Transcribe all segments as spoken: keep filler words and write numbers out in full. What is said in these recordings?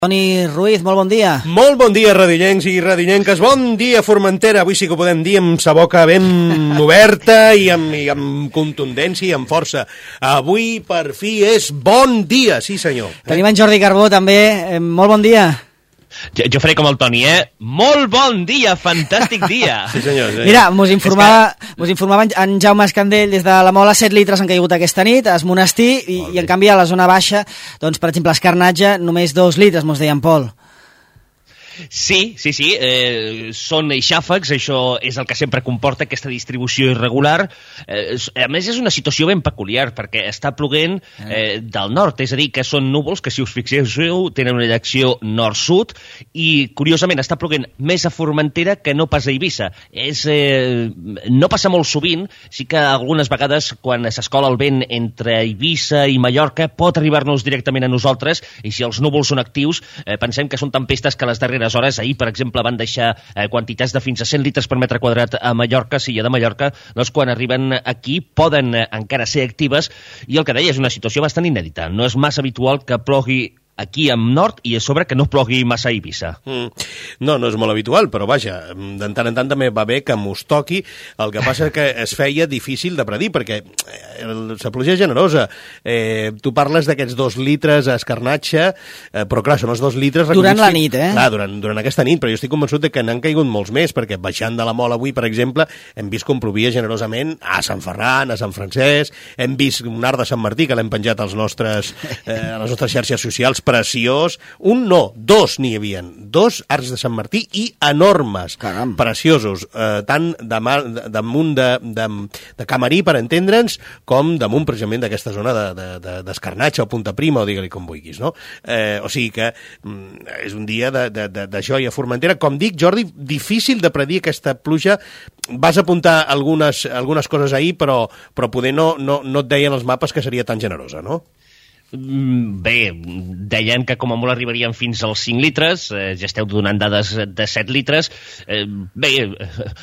Toni Ruiz, molt bon dia. Molt bon dia, radillencs i radillenques. Bon dia, Formentera. Avui sí que ho podem dir amb sa boca ben oberta i amb, i amb contundència i amb força. Avui, per fi, és bon dia, sí senyor. Tenim en Jordi Carbó, també. Eh, molt bon dia. Jo, jo faré com el Toni, eh? Molt bon dia, fantàstic dia. Sí, senyor. Sí. Mira, mos informava, que... mos informava en Jaume Escandell des de la Mola, set litres han caigut aquesta nit, a Es Monestir, i, i en canvi a la zona baixa, doncs, per exemple, a Escarnatge, només dos litres, mos deia en Pol. Sí, sí, sí, eh, són xàfecs, això és el que sempre comporta aquesta distribució irregular. Eh, a més, és una situació ben peculiar, perquè està ploguent eh, del nord, és a dir, que són núvols que, si us fixeu, tenen una direcció nord-sud, i, curiosament, està ploguent més a Formentera que no pas a Eivissa. És, eh, no passa molt sovint, sí que algunes vegades, quan s'escola el vent entre Eivissa i Mallorca, pot arribar-nos directament a nosaltres, i si els núvols són actius, eh, pensem que són tempestes que les darreres hores, ahir, per exemple, van deixar eh, quantitats de fins a cent litres per metre quadrat a Mallorca, Silla de Mallorca, doncs quan arriben aquí poden eh, encara ser actives, i el que deia és una situació bastant inèdita. No és massa habitual que plogui aquí en nord i a sobre que no plogui massa a Eivissa. Mm. No, no és molt habitual, però vaja, de tant en tant també va bé que mos toqui. El que passa és que es feia difícil de predir, perquè la pluja és generosa. Eh, tu parles d'aquests dos litres a Escarnatge, eh, però clar, són els dos litres... Durant la nit, eh? Clar, durant, durant aquesta nit, però jo estic convençut de que n'han caigut molts més, perquè baixant de la Mola avui, per exemple, hem vist com plovia generosament a Sant Ferran, a Sant Francesc, hem vist un arc de Sant Martí, que l'hem penjat als nostres, eh, a les nostres xarxes socials, preciós. Un no, dos n'hi havien. Dos arcs de Sant Martí i enormes. Caram. Preciosos. Eh, tant de mar, de, damunt de, de, de Camarí, per entendre'ns, com damunt, precisament, d'aquesta zona d'Escarnatge de, de, o Punta Prima, o digue-li com vulguis, no? Eh, o sigui que mm, és un dia de, de, de, de joia a Formentera. Com dic, Jordi, difícil de predir aquesta pluja. Vas apuntar algunes, algunes coses ahir, però, però poder no, no, no et deien els mapes que seria tan generosa, no? Bé, deien que com a molt arribarien fins als cinc litres, eh, ja esteu donant dades de set litres. Eh, bé,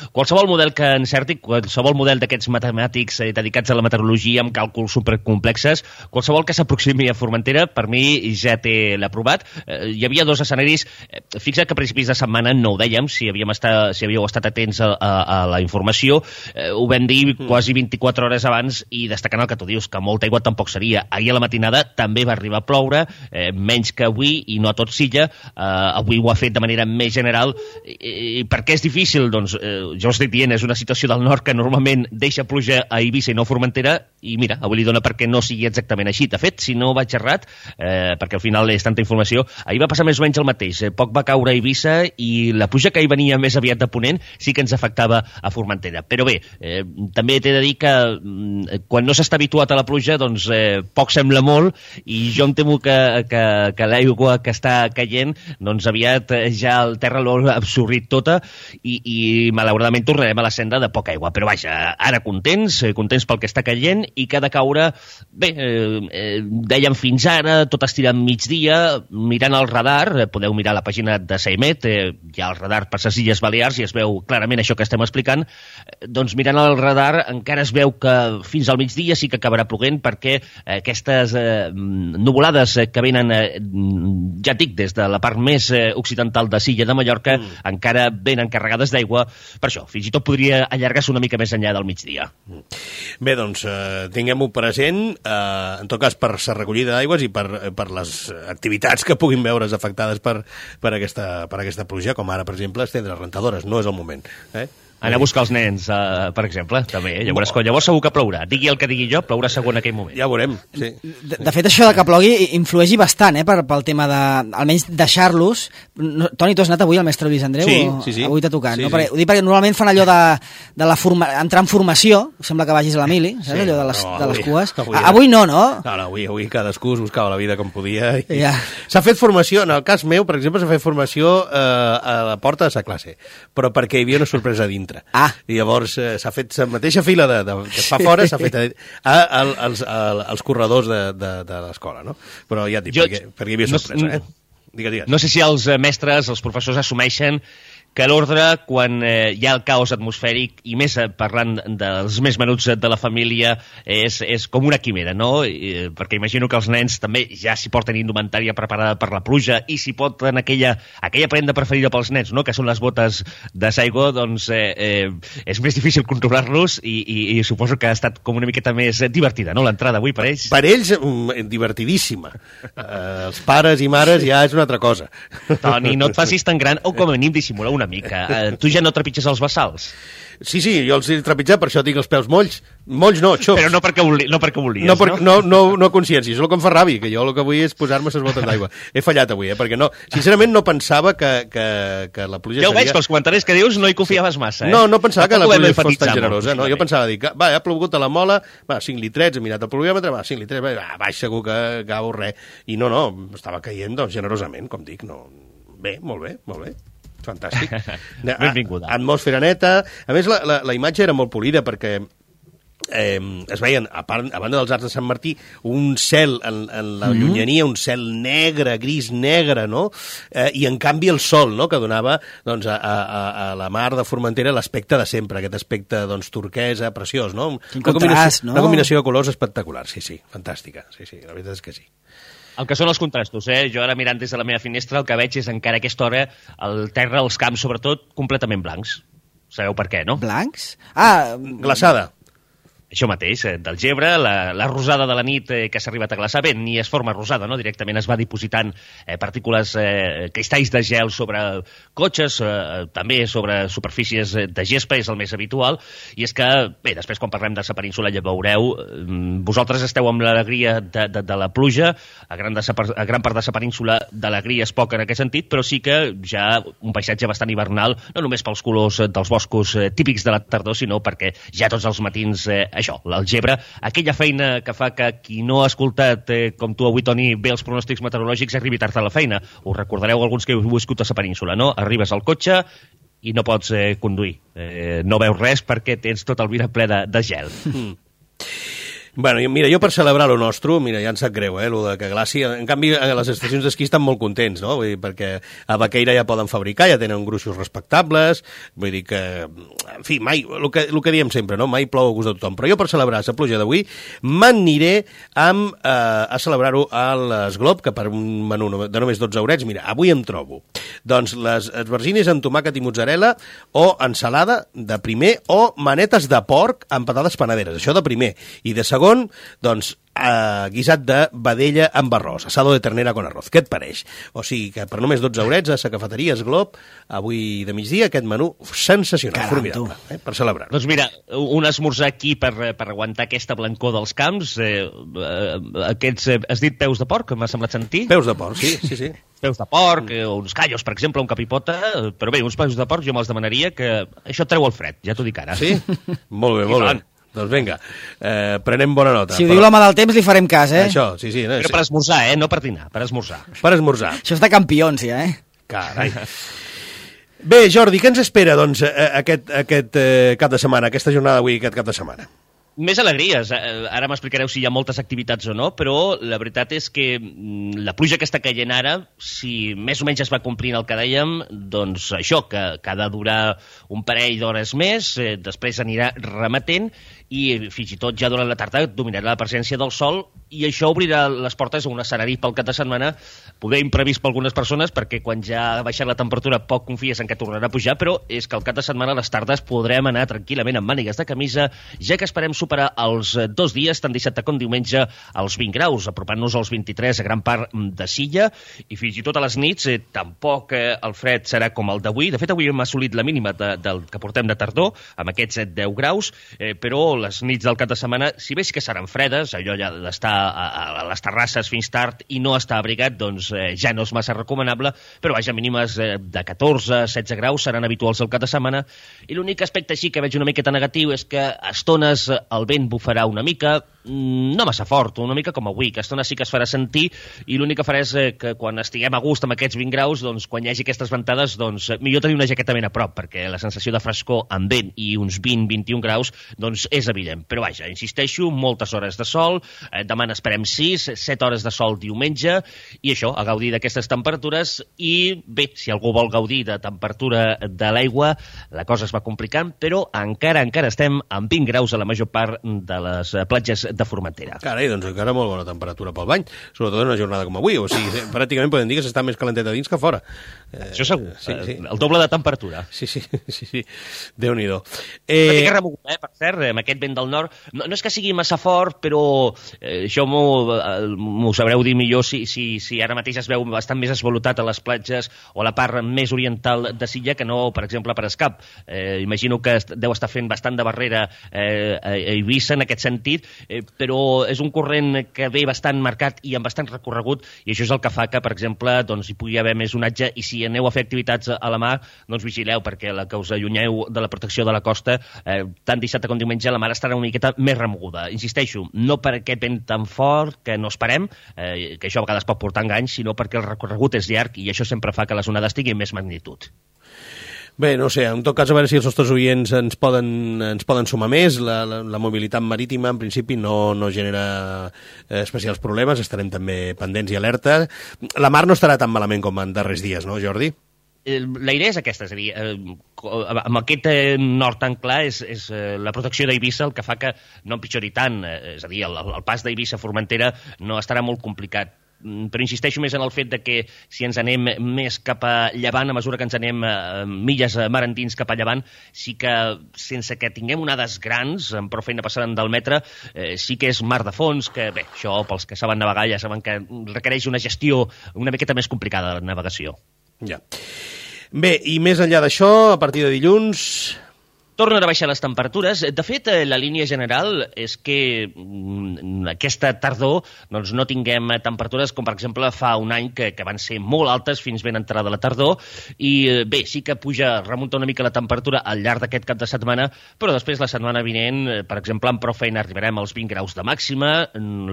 qualsevol model que encerti, qualsevol model d'aquests matemàtics eh, dedicats a la meteorologia amb càlculs supercomplexes, qualsevol que s'aproximi a Formentera, per mi ja té l'aprovat. Eh, hi havia dos escenaris. Eh, fixa't que a principis de setmana no ho dèiem, si havíem estat, si havíeu estat atents a, a, a la informació. Eh, ho vam dir mm. quasi vint-i-quatre hores abans, i destacant el que tu dius, que molta aigua tampoc seria. Ahir a la matinada també va arribar a ploure, eh, menys que avui, i no a tot Silla. Eh, avui ho ha fet de manera més general. I, i per què és difícil? Doncs eh, jo us estic dient, és una situació del nord que normalment deixa pluja a Eivissa i no a Formentera, i mira, avui li dona perquè no sigui exactament així. De fet, si no vaig errat, eh, perquè al final és tanta informació, ahir va passar més o menys el mateix. Eh, poc va caure a Eivissa, i la pluja que ahir venia més aviat de ponent sí que ens afectava a Formentera. Però bé, eh, també t'he de dir que eh, quan no s'està habituat a la pluja, doncs eh, poc sembla molt, i jo em temo que, que, que l'aigua que està caient, doncs aviat ja el terra l'ha absorbit tota, i, i malauradament tornarem a la senda de poca aigua. Però vaja, ara contents, contents pel que està caient, i que ha de caure, bé, eh, eh, dèiem fins ara, tot estirant migdia, mirant el radar, eh, podeu mirar la pàgina de Saimet, eh, hi ha el radar per les Illes Balears, i es veu clarament això que estem explicant. Eh, doncs mirant el radar encara es veu que fins al migdia sí que acabarà ploguent, perquè eh, aquestes eh, nuvolades que venen, eh, ja dic, des de la part més eh, occidental de Silla de Mallorca, mm. encara venen carregades d'aigua. Per això, fins i tot podria allargar-se una mica més enllà del migdia. Mm. Bé, doncs, eh, tinguem-ho present, eh, en tot cas per la recollida d'aigües i per, per les activitats que puguin veure's afectades per, per, aquesta, per aquesta pluja, com ara, per exemple, estendre rentadores. No és el moment, eh? Anar a buscar els nens, uh, per exemple, també. Llavors, no. llavors segur que plourà. Digui el que digui jo, plourà segur en aquell moment. Ja ho veurem, sí. De, de fet, això de que plogui influeixi bastant, eh, per, pel tema de, almenys, deixar-los. No, Toni, tu has anat avui al mestre Lluís Andreu? Sí, o, sí, sí. Avui t'ha tocat, sí, no? Sí. Perquè, ho dic perquè normalment fan allò de, de la forma, entrar en formació, sembla que vagis a la mili, saps, sí, allò de les, no, avui, de les cues. Avui, avui no, no? No, no, avui, avui cadascú es buscava la vida com podia. I... Ja. S'ha fet formació, en el cas meu, per exemple, s'ha fet formació eh, a la porta de sa classe, però perquè hi havia una sorpresa dintre. Ah. I llavors eh, s'ha fet la mateixa fila de, de, que es fa fora, s'ha fet a, a, a, als, a, als corredors de, de, de l'escola, no? Però ja et dic, jo, perquè, perquè hi havia sorpresa, no, eh? Digue, digue. No sé si els mestres, els professors assumeixen que l'ordre, quan eh, hi ha el caos atmosfèric, i més eh, parlant dels més menuts de la família, és, és com una quimera, no? I, perquè imagino que els nens també ja s'hi porten indumentària preparada per la pluja i s'hi porten aquella, aquella prenda preferida pels nens, no? Que són les botes de Saigo, doncs eh, eh, és més difícil controlar-los i, i, i suposo que ha estat com una miqueta més divertida, no?, l'entrada avui per ells. Per ells, divertidíssima. Eh, els pares i mares ja és una altra cosa. Toni, no et facis tan gran, o com a mínim dissimular una mica. Eh, tu ja no trepitges els bassals? Sí, sí, jo els he trepitjat, per això tinc els peus molls. Molls no, xops. Però no perquè, voli, no perquè volies, no? Per, no? No, no, no consciència, és el que em fa ràbia, que jo el que vull és posar-me les botes d'aigua. He fallat avui, eh, perquè no, sincerament no pensava que, que, que la pluja ja ho seria... veig, pels comentaris que dius no hi confiaves massa, eh? No, no pensava que la pluja fos tan generosa, molt, no, jo pensava dir que, va, ha plogut a la Mola, va, cinc litrets, he mirat el pluviòmetre, va, cinc litrets, va, baix segur que cau res. I no, no, estava caient, doncs, generosament, com dic, no... Bé, molt bé, molt bé. Fantàstic. Benvinguda. Atmosfera neta. A més, la, la, la imatge era molt polida perquè eh, es veien, a, part, a banda dels Arcs de Sant Martí, un cel en, en la mm-hmm. llunyania, un cel negre, gris negre, no? Eh, I en canvi el sol, no?, que donava doncs, a, a, a la mar de Formentera l'aspecte de sempre, aquest aspecte doncs, turquesa, preciós, no? Quin una, contrast, combinació, no? Una combinació de colors espectacular, sí, sí, fantàstica. Sí, sí, la veritat és que sí. El que són els contrastos, eh? Jo ara mirant des de la meva finestra el que veig és encara a aquesta hora el terra, els camps sobretot, completament blancs. Sabeu per què, no? Blancs? Ah... Glaçada. Això mateix, eh, del gebre, la, la rosada de la nit eh, que s'ha arribat a glaçar, bé, ni es forma rosada, no? Directament es va dipositant eh, partícules, eh, cristalls de gel sobre cotxes, eh, també sobre superfícies de gespa, és el més habitual, i és que, bé, després quan parlem de la península ja veureu, eh, vosaltres esteu amb l'alegria de, de, de la pluja, a gran, de sa, a gran part de la península d'alegria és poca en aquest sentit, però sí que ja un paisatge bastant hivernal, no només pels colors dels boscos eh, típics de la tardor, sinó perquè ja tots els matins eh, això, l'algebre, aquella feina que fa que qui no ha escoltat, eh, com tu avui, Toni, bé els pronòstics meteorològics, arribi tard a la feina. Us recordareu alguns que heu viscut a la península, no? Arribes al cotxe i no pots eh, conduir. Eh, no veus res perquè tens tot el vidre ple de, de gel. Mm. Bueno, mira, jo per celebrar lo nostre, mira, ja em sap greu, eh, lo de que glaci. En canvi, a les estacions d'esquí estan molt contents, no? Vull dir, perquè a Baqueira ja poden fabricar, ja tenen gruixos respectables, vull dir que, en fi, mai, el que, el que diem sempre, no? Mai plou a gust de tothom. Però jo per celebrar la pluja d'avui m'aniré amb, eh, a celebrar-ho a l'Esglob, que per un menú de només dotze eurets, mira, avui em trobo, doncs, les esvergines amb tomàquet i mozzarella o ensalada de primer o manetes de porc amb patates panaderes, això de primer. I de segon, doncs, eh, guisat de vedella amb arròs, asado de ternera con arroz. Què et pareix? O sigui que per només dotze eurets a la cafeteria Esglob, avui de migdia, aquest menú sensacional, Caram, formidable, eh, per celebrar. Doncs mira, un esmorzar aquí per, per aguantar aquesta blancor dels camps, eh, eh, aquests, eh, has dit peus de porc, m'ha semblat sentir? Peus de porc, sí, sí, sí. Peus de porc, eh, uns callos, per exemple, un capipota, eh, però bé, uns peus de porc jo me'ls demanaria, que això et treu el fred, ja t'ho dic ara. Sí? Molt bé, molt bé. Doncs vinga, eh, prenem bona nota. Si ho diu l'home del temps, li farem cas, eh? Això, sí, sí. No, Però sí. per esmorzar, eh? No per dinar, per esmorzar. Per esmorzar. Això és de campions, ja, eh? Carai. Bé, Jordi, què ens espera, doncs, aquest, aquest eh, cap de setmana, aquesta jornada d'avui, aquest cap de setmana? Més alegries. Ara m'explicareu si hi ha moltes activitats o no, però la veritat és que la pluja que està caient ara, si més o menys es va complint el que dèiem, doncs això, que, que ha de durar un parell d'hores més, eh, després anirà remetent i fins i tot ja durant la tarda dominarà la presència del sol i això obrirà les portes a un escenari pel cap de setmana, poder imprevist per algunes persones, perquè quan ja ha baixat la temperatura poc confies en que tornarà a pujar, però és que al cap de setmana a les tardes podrem anar tranquil·lament amb mànigues de camisa, ja que esperem superar els dos dies, tant dissabte com diumenge, als vint graus, apropant-nos als vint-i-tres a gran part de Silla, i fins i tot a les nits eh, tampoc eh, el fred serà com el d'avui. De fet, avui hem assolit la mínima de, del que portem de tardor, amb aquests deu graus, eh, però les nits del cap de setmana, si bé sí que seran fredes, allò ja d'estar a, a les terrasses fins tard i no estar abrigat, doncs eh, ja no és massa recomanable, però vaja, mínimes eh, de catorze a setze graus seran habituals al cap de setmana, i l'únic aspecte així que veig una miqueta negatiu és que a estones el vent bufarà una mica, no massa fort, una mica com avui, que a estones sí que es farà sentir, i l'únic que farà és eh, que quan estiguem a gust amb aquests vint graus, doncs quan hi hagi aquestes ventades, doncs millor tenir una jaqueta ben a prop, perquè la sensació de frescor amb vent i uns vint a vint i un graus, doncs és evident. Però vaja, insisteixo, moltes hores de sol, eh, demà n'esperem sis, set hores de sol diumenge, i això, a gaudir d'aquestes temperatures, i bé, si algú vol gaudir de temperatura de l'aigua, la cosa es va complicant, però encara, encara estem amb vint graus a la major part de les platges de Formentera. Carai, doncs encara molt bona temperatura pel bany, sobretot en una jornada com avui, o sigui, pràcticament podem dir que s'està més calentet a dins que a fora. Eh, això segur, sí, sí. el doble de temperatura. Sí, sí, sí, sí. Déu-n'hi-do. Eh... Una mica remogut, eh, per cert, amb aquest vent del nord. No, no és que sigui massa fort, però eh, això m'ho sabreu dir millor si, si, si ara mateix es veu bastant més esvalotat a les platges o a la part més oriental de Silla que no, per exemple, per Escap. Eh, imagino que deu estar fent bastant de barrera eh, a Eivissa en aquest sentit, eh, però és un corrent que ve bastant marcat i amb bastant recorregut, i això és el que fa que, per exemple, doncs, hi pugui haver més onatge, i si aneu a fer activitats a la mar, doncs vigileu, perquè la que us allunyeu de la protecció de la costa, eh, tant dissabte com diumenge, la mar estarà una miqueta més remoguda. Insisteixo, no per aquest vent tan fort que no esperem, eh, que això a vegades pot portar enganys, sinó perquè el recorregut és llarg i això sempre fa que les onades tinguin més magnitud. Bé, no sé, en tot cas, a veure si els nostres oients ens poden, ens poden sumar més. La, la, la mobilitat marítima, en principi, no, no genera eh, especials problemes. Estarem també pendents i alerta. La mar no estarà tan malament com en darrers dies, no, Jordi? La idea és aquesta, és a dir, eh, amb aquest eh, nord tan clar és, és eh, la protecció d'Eivissa el que fa que no empitjori tant, eh, és a dir, el, el pas d'Eivissa a Formentera no estarà molt complicat. Però insisteixo més en el fet de que si ens anem més cap a llevant, a mesura que ens anem eh, milles mar endins cap a llevant, sí que sense que tinguem onades grans, amb prou feina passant del metre, eh, sí que és mar de fons, que bé, això pels que saben navegar ja saben que requereix una gestió una miqueta més complicada de la navegació. Ja. Bé, i més enllà d'això, a partir de dilluns... Tornen a baixar les temperatures. De fet, la línia general és que aquesta tardor doncs, no tinguem temperatures com, per exemple, fa un any que, que van ser molt altes fins ben entrada la tardor. I bé, sí que puja, remunta una mica la temperatura al llarg d'aquest cap de setmana, però després la setmana vinent, per exemple, amb prou feina arribarem als vint graus de màxima,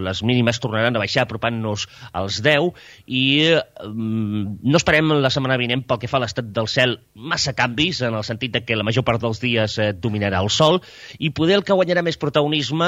les mínimes tornaran a baixar apropant-nos als deu, i um, no esperem la setmana vinent pel que fa a l'estat del cel massa canvis, en el sentit de que la major part dels dies dominarà el sol, i poder el que guanyarà més protagonisme,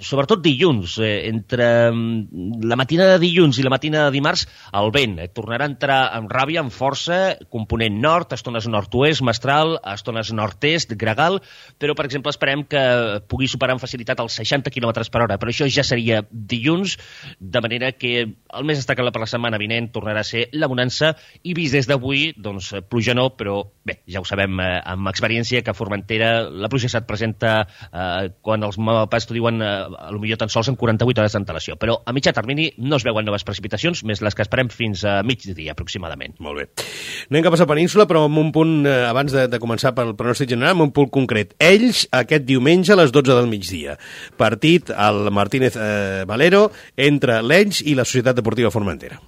sobretot dilluns, eh, entre la matina de dilluns i la matina de dimarts, el vent eh, tornarà a entrar amb ràbia, amb força, component nord, estones nord-oest, mestral, estones nord-est, gregal, però, per exemple, esperem que pugui superar amb facilitat els seixanta quilòmetres per hora, però això ja seria dilluns, de manera que el més destacable per la setmana vinent tornarà a ser la bonança, i vist des d'avui, doncs, pluja no, però bé, ja ho sabem eh, amb experiència que a Formentera la pluja se't presenta eh, quan els mapes t'ho diuen eh, potser tan sols en quaranta-vuit hores d'antelació, però a mitjà termini no es veuen noves precipitacions, més les que esperem fins a migdia aproximadament. Molt bé. Anem cap a la península, però amb un punt, eh, abans de, de començar pel pronòstic general, amb un punt concret. Ells, aquest diumenge a les dotze del migdia. Partit al Martínez eh, Valero entre l'Ells i la Societat Deportiva Formentera.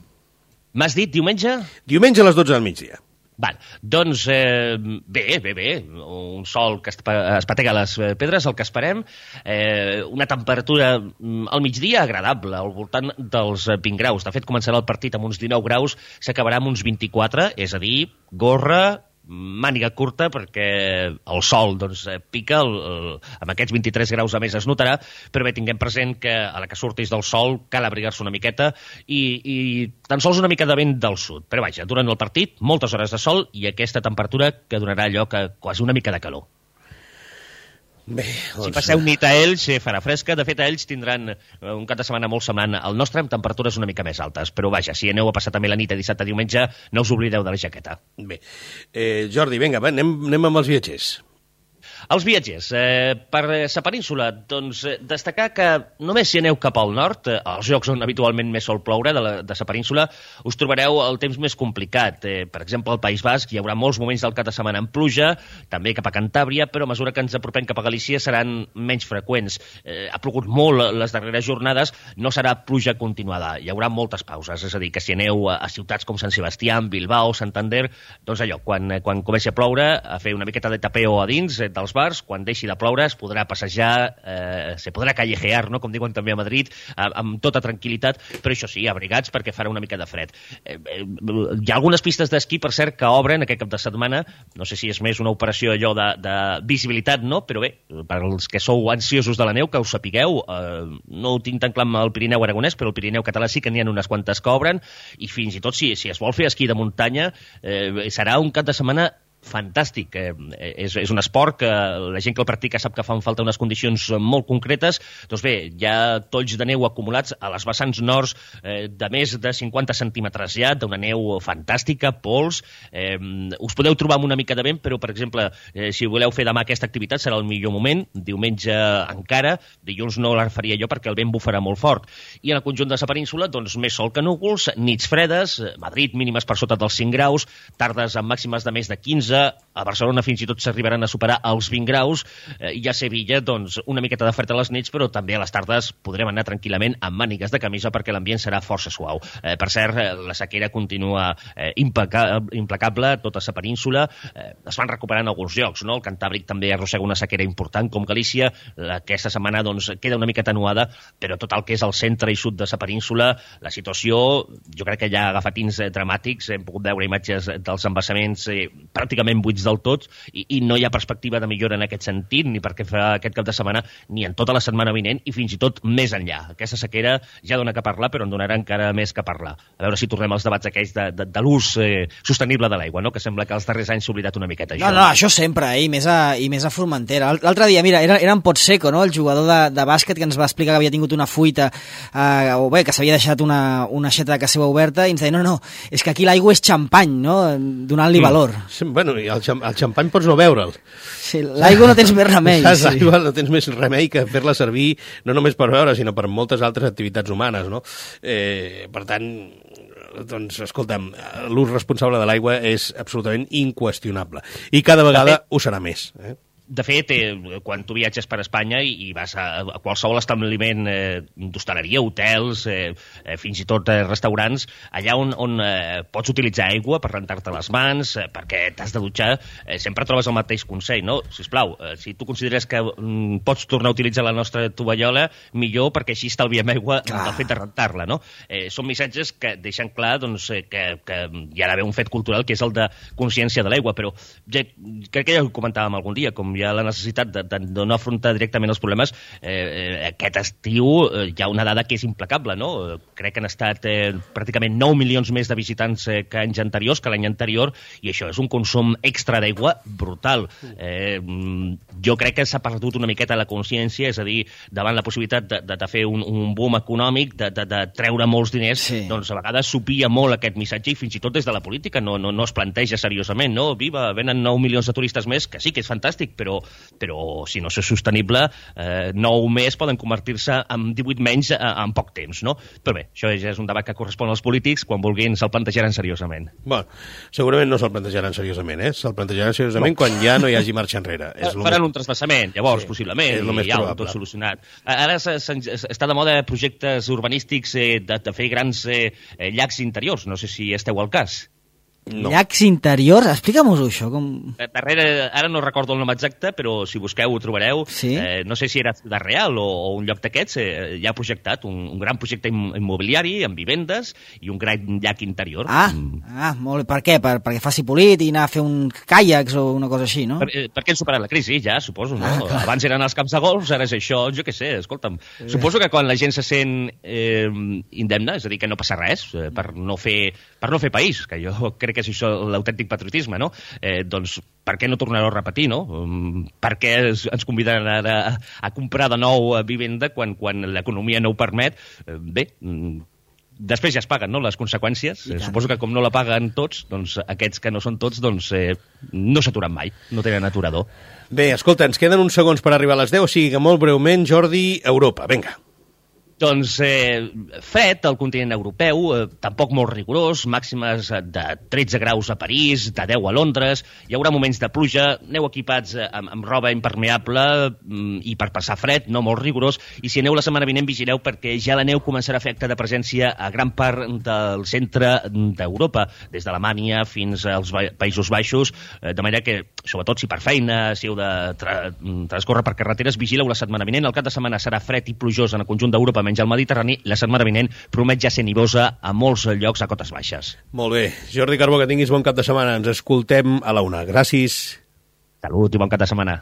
M'has dit diumenge? Diumenge a les dotze del migdia. Val, doncs eh, bé, bé, bé, un sol que espatega les pedres, el que esperem, eh, una temperatura al migdia agradable, al voltant dels vint graus. De fet, començarà el partit amb uns dinou graus, s'acabarà amb uns vint-i-quatre, és a dir, gorra, màniga curta, perquè el sol doncs, pica, el, el, amb aquests vint-i-tres graus a més es notarà, però bé, tinguem present que a la que surtis del sol cal abrigar-se una miqueta i, i tan sols una mica de vent del sud. Però vaja, durant el partit, moltes hores de sol i aquesta temperatura que donarà allò que quasi una mica de calor. Bé, doncs... Si passeu nit a Elx, farà fresca. De fet, a Elx tindran un cap de setmana molt semblant al nostre, amb temperatures una mica més altes. Però vaja, si aneu a passar també la nit a dissabte a diumenge, no us oblideu de la jaqueta. Bé, eh, Jordi, vinga, va, anem, anem amb els viatgers. Els viatgers, eh, per la península, doncs eh, destacar que només si aneu cap al nord, eh, als llocs on habitualment més sol ploure de la, de la península, us trobareu el temps més complicat. Eh, per exemple, al País Basc hi haurà molts moments del cap de setmana en pluja, també cap a Cantàbria, però a mesura que ens apropem cap a Galícia seran menys freqüents. Eh, ha plogut molt les darreres jornades, no serà pluja continuada, hi haurà moltes pauses, és a dir, que si aneu a, a ciutats com Sant Sebastià, Bilbao, Santander, doncs allò, quan, quan comenci a ploure, a fer una miqueta de tapeo a dins, eh, del als bars, quan deixi de ploure es podrà passejar, eh, se podrà callejear, no? Com diuen també a Madrid, amb, amb tota tranquil·litat, però això sí, abrigats perquè farà una mica de fred. Eh, eh, hi ha algunes pistes d'esquí, per cert, que obren aquest cap de setmana, no sé si és més una operació allò de, de visibilitat, no? Però bé, per als que sou ansiosos de la neu, que us sapigueu, eh, no ho tinc tan clar amb el Pirineu aragonès, però el Pirineu català sí que n'hi ha unes quantes que obren, i fins i tot si, si es vol fer esquí de muntanya, eh, serà un cap de setmana fantàstic. Eh, és, és un esport que la gent que el practica sap que fan falta unes condicions molt concretes. Doncs bé, hi ha tolls de neu acumulats a les vessants nords eh, de més de cinquanta centímetres ja, d'una neu fantàstica, pols. Eh, us podeu trobar amb una mica de vent, però, per exemple, eh, si voleu fer demà aquesta activitat serà el millor moment. Diumenge encara, dilluns no la faria jo perquè el vent bufarà molt fort. I en el conjunt de la península, doncs, més sol que núvols, nits fredes, Madrid mínimes per sota dels cinc graus, tardes amb màximes de més de quinze, a Barcelona fins i tot s'arribaran a superar els vint graus, eh, i a Sevilla, doncs, una miqueta de fred a les nits, però també a les tardes podrem anar tranquil·lament amb mànigues de camisa perquè l'ambient serà força suau. Eh, per cert, la sequera continua eh, implacable a tota la península. Eh, es van recuperant alguns llocs, no? El Cantàbric també arrossega una sequera important, com Galícia. Aquesta setmana, doncs, queda una mica atenuada, però tot el que és el centre i sud de la península, la situació, jo crec que ja ha agafat tins eh, dramàtics. Hem pogut veure imatges dels embassaments eh, pràcticament buits del tot, i, i no hi ha perspectiva de millora en aquest sentit, ni perquè fa aquest cap de setmana, ni en tota la setmana vinent, i fins i tot més enllà. Aquesta sequera ja dona que parlar, però en donarà encara més que parlar. A veure si tornem als debats aquells de, de, de l'ús eh, sostenible de l'aigua, no? Que sembla que els darrers anys s'ha oblidat una miqueta. No, no, això sempre, eh? I més a, i més a Formentera. L'altre dia, mira, era, era en Potseco, no? El jugador de, de bàsquet, que ens va explicar que havia tingut una fuita, eh, o bé, que s'havia deixat una, una aixeta de casa seva oberta, i ens deia, no, no, és que aquí l'aigua és xampany, no? Donant-li mm. valor. Sí, bueno, i el, xam el xampany pots no beure'l. Sí, l'aigua no tens més remei. Saps? Sí. L'aigua no tens més remei que fer-la servir no només per beure, sinó per moltes altres activitats humanes, no? Eh, per tant, doncs, escolta'm, l'ús responsable de l'aigua és absolutament inqüestionable. I cada vegada ho serà més, eh? De fet, eh, quan tu viatges per Espanya i, i vas a, a qualsevol establiment eh, d'hostaleria, hotels, eh, eh, fins i tot eh, restaurants, allà on, on eh, pots utilitzar aigua per rentar-te les mans, eh, perquè t'has de dutxar, eh, sempre trobes el mateix consell, no? Sisplau, eh, si tu consideres que mm, pots tornar a utilitzar la nostra tovallola, millor, perquè així estalviem aigua del fet de rentar-la, no? Eh, són missatges que deixen clar, doncs, eh, que, que hi ha d'haver un fet cultural que és el de consciència de l'aigua, però ja, crec que ja ho comentàvem algun dia, com hi ha la necessitat de, de, de no afrontar directament els problemes, eh, aquest estiu eh, hi ha una dada que és implacable, no? Crec que han estat eh, pràcticament nou milions més de visitants eh, que anys anteriors, que l'any anterior, i això és un consum extra d'aigua brutal. Eh, jo crec que s'ha perdut una miqueta la consciència, és a dir, davant la possibilitat de, de, de fer un, un boom econòmic, de, de, de treure molts diners, sí. Doncs a vegades s'opia molt aquest missatge, i fins i tot des de la política no, no, no es planteja seriosament, no? Viva, venen nou milions de turistes més, que sí que és fantàstic, però però si no és sostenible, eh, nou més poden convertir-se en divuit menys eh, en poc temps, no? Però bé, això ja és un debat que correspon als polítics, quan vulguin se'l plantejaran seriosament. Bueno, segurament no se'l plantejaran seriosament, eh? Se'l plantejaran seriosament no. Quan ja no hi hagi marxa enrere. És Faran més... un trasbassament, llavors, sí, possiblement, i ja ho tot solucionat. Ara està de moda projectes urbanístics eh, de, de fer grans eh, llacs interiors, no sé si esteu al cas. No. Llacs interiors? Explica'm-ho això. Com... Darrere, ara no recordo el nom exacte, però si busqueu ho trobareu. Sí? Eh, no sé si era de Real o, o un lloc d'aquests, eh, ja ha projectat un, un gran projecte immobiliari amb vivendes i un gran llac interior. Ah, mm. ah molt bé. Per què? Per, perquè faci polit i anar a fer un caiacs o una cosa així, no? Per, eh, perquè han superat la crisi, ja, suposo. No? Ah, abans eren els camps de golf, ara és això, jo què sé, escolta'm. Sí. Suposo que quan la gent se sent eh, indemne, és a dir, que no passa res eh, per, no fer, per no fer país, que jo crec que és això l'autèntic patriotisme, no? Eh, doncs per què no tornar-ho a repetir, no? Um, per què ens conviden ara a, a comprar de nou vivenda quan, quan l'economia no ho permet? Eh, bé, després ja es paguen, no?, les conseqüències. Eh, suposo que com no la paguen tots, doncs aquests que no són tots, doncs eh, no s'aturen mai, no tenen aturador. Bé, escolta, ens queden uns segons per arribar a les deu, o sigui que molt breument, Jordi, Europa, vinga. Doncs eh, fred al continent europeu, eh, tampoc molt rigorós, màximes de tretze graus a París, de deu a Londres, hi haurà moments de pluja, aneu equipats eh, amb, amb roba impermeable mm, i per passar fred, no molt rigorós, i si aneu la setmana vinent vigileu perquè ja la neu començarà a fer acte de presència a gran part del centre d'Europa, des d'Alemanya fins als Països Baixos, eh, de manera que sobretot si per feina, si heu de tra transcorrer per carreteres, vigileu la setmana vinent. El cap de setmana serà fred i plujós en el conjunt d'Europa, menys al Mediterrani. La setmana vinent promet ja ser nivosa a molts llocs a cotes baixes. Molt bé. Jordi Carbó, que tinguis bon cap de setmana. Ens escoltem a la una. Gràcies. Salut i bon cap de setmana.